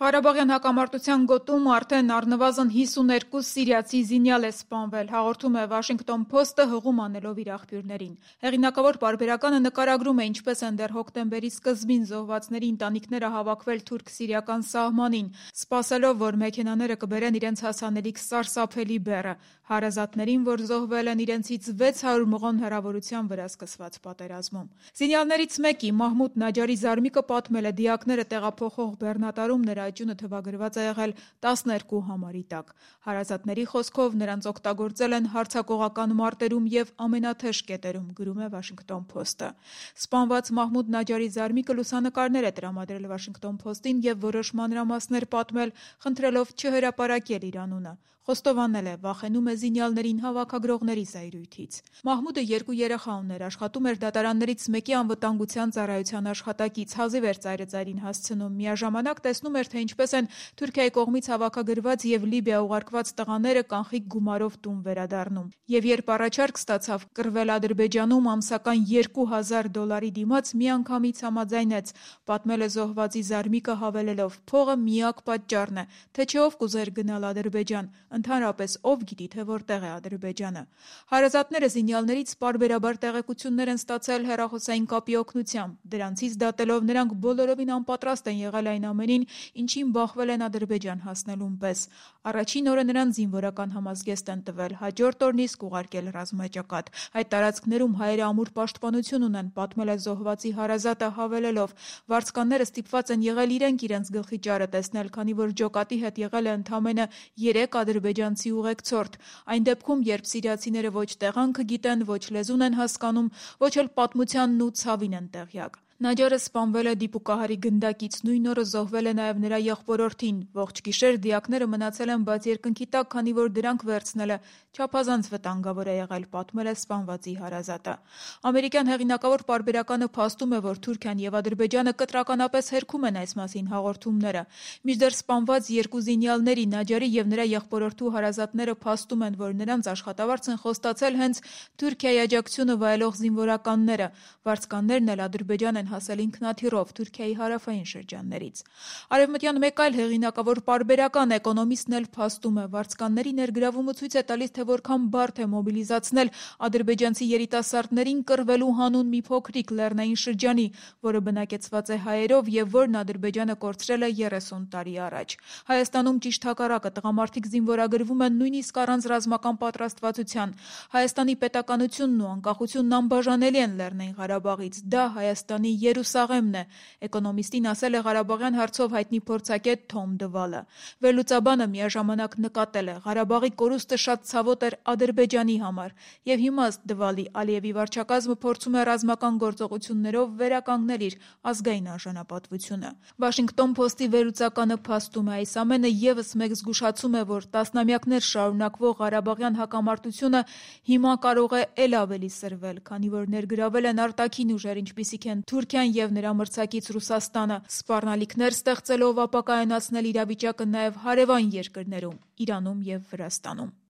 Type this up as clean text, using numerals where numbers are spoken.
Ղարաբաղյան հակամարտության գոտում արդեն առնվազն 52 սիրիացի զինյալ է սպանվել, հաղորդում է Washington Post-ը հղում անելով իր աղբյուրներին։ Հեղինակավոր պարբերականը նկարագրում է, ինչպես են դեռ հոկտեմբերի սկզբին զոհվածների ընտանիքները հավաքվել թուրք-սիրիական սահմանին, սպասելով, որ մեքենաները կբերեն իրենց հասանելիք սարսափելի բեռը, հարազատներին, որ զոհվել են իրենցից 600 մղոն հեռավորության վրա սկսված պատերազմում։ Զինյալներից մեկի՝ Մահմուդ Նաջարի զարմիկը պատմել է, դիակները տեղափոխող բեռնատարում նրա աճյունը թվագրված է եղել 12 համարի տակ։ Հարազատների խոսքով նրանց օգտագործել են հարձակողական մարտերում և ամենաթեժ կետերում, գրում է Washington Post-ը։ Սպանված Մահմուդ Նաջարի զարմիկը լուսանկարներ է տրամադրել Washington Post-ին և որոշ մանրամասներ պատմել, խնդրելով չհրապարակել իր անունը։ Խոստովանել է, վախենում է զինյալներին հավաքագրողների զայրույթից։ Մահմուդը 2 երեխա ուներ, աշխատում էր դատարաններից մեկի անվտանգության ծառայության աշխատակից, հազիվ էր ծայրը ծայրին հասցնում, միաժամանակ տեսնում էր, թե ինչպես են Թուրքիայի կողմից հավաքագրված և Լիբիա ուղարկված տղաները կանխիկ գումարով տուն վերադառնում։ Եվ երբ առաջարկ ստացավ կռվել Ադրբեջանում ամսական $2000 դիմաց, միանգամից համաձայնեց, պատմել է զոհվածի զարմիկը հավելելով. «Փողը միակ պատճառն է, թե չէ ով կուզեր գնալ Ադրբեջան, ընդհանրապես ով գիտի, թե որտեղ է Ադրբեջանը»։ Հարազատները զինյալներից պարբերաբար տեղեկություններ են ստացել հեռախոսային կապի օգնությամբ։ Դրանցից դատելով նրանք բոլորովին անպատրաստ են եղել այն ամենին, ինչին բախվել են Ադրբեջան հասնելուն պես։ Առաջին օրը նրան զինվորական համազգեստ են տվել, հաջորդ օրն իսկ ուղարկել ռազմաճակատ։ Այդ տարածքներում հայերը ամուր պաշտպանություն ունեն, պատմել է զոհվածի հարազատը հավելելով. «Վարձկանները ստիպված են եղել իրենց գլխի ճարը տեսնել, քանի որ ջոկատի հետ եղել է ընդամենը 3 ադրբեջանցի ուղեկցորդ։ Այն դեպքում, երբ սիրիացիները ոչ տեղանքը գիտեն, ոչ լեզուն են հասկանում, ոչ էլ պատմությանն ու ցավին են տեղյակ»։ Նաջարը սպանվել է դիպուկահարի գնդակից, նույն օրը զոհվել է նաև նրա եղբորորդին։ Ողջ գիշեր դիակները մնացել են բաց երկնքի տակ, քանի որ դրանք վերցնելը չափազանց վտանգավոր է եղել, պատմել է սպանվածի հարազատը։ Ամերիկյան հեղինակավոր պարբերականը փաստում է, որ Թուրքիան և Ադրբեջանը կտրականապես հերքում են այս մասին հաղորդումները։ Մինչդեռ սպանված 2 զինյալների՝ Նաջարի և նրա եղբորորդու հարազատները փաստում են, որ նրանց աշխատավարձ են խոստացել հենց Թուրքիայի աջակցությունը վայելող զինվորականները։ Վարձկաններն էլ Ադրբեջան են հասել ինքնաթիռով Թուրքիայի հարավային շրջաններից։ Արևմտյան մեկ այլ հեղինակավոր պարբերական Էկոնոմիստն էլ փաստում է, վարձկանների ներգրավումը ցույց է տալիս, թե որքան բարդ է մոբիլիզացնել ադրբեջանցի երիտասարդներին կռվելու հանուն մի փոքրիկ լեռնային շրջանի, որը բնակեցված է հայերով և որն Ադրբեջանը կորցրել է 30 տարի առաջ։ Հայաստանում ճիշտ հակառակը, տղամարդիկ զինվորագրվում են նույնիսկ առանց ռազմական պատրաստվածության։ Հայաստանի պետականությունն ու անկախությունն անբաժանելի են Լեռնային Ղարաբաղից։ Դա Հայաստանի Երուսաղեմն է, Էկոնոմիստին ասել է Ղարաբաղյան հարցով հայտնի փորձագետ Թոմ Դվալը։ Վերլուծաբանը միաժամանակ նկատել է. «Ղարաբաղի կորուստը շատ ցավոտ էր Ադրբեջանի համար, և հիմա ըստ Դվալի Ալիևի վարչակազմը փորձում է ռազմական գործողություններով վերականգնել իր ազգային արժանապատվությունը»։ Washington Post-ի վերլուծականը փաստում է. «Այս ամենը ևս մեկ զգուշացում է, որ տասնամյակներ շարունակվող Ղարաբաղյան հակամարտությունը հիմա կարող է էլ ավելի սրվել, քանի որ ներգրավել են արտաքին ուժեր, ինչպիսիք են Թուրքիան և նրա մրցակից Ռուսաստանը, սպառնալիքներ ստեղծելով ապակայունացնել իրավիճակը նաև հարևան երկրներում՝ Իրանում և Վրաստանում»։